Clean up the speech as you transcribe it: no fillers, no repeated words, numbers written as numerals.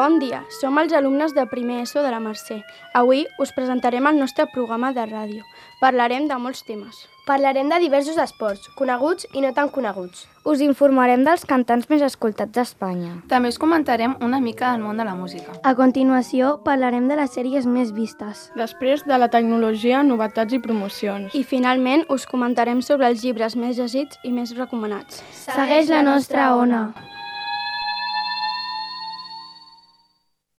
Bon dia, som els alumnes de primer ESO de la Mercè. Avui us presentarem el nostre programa de ràdio. Parlarem de molts temes. Parlarem de diversos esports, coneguts i no tan coneguts. Us informarem dels cantants més escoltats d'Espanya. També us comentarem una mica del món de la música. A continuació, parlarem de les sèries més vistes. Després de la tecnologia, novetats i promocions. I finalment us comentarem sobre els llibres més llegits i més recomanats. Segueix la nostra ona!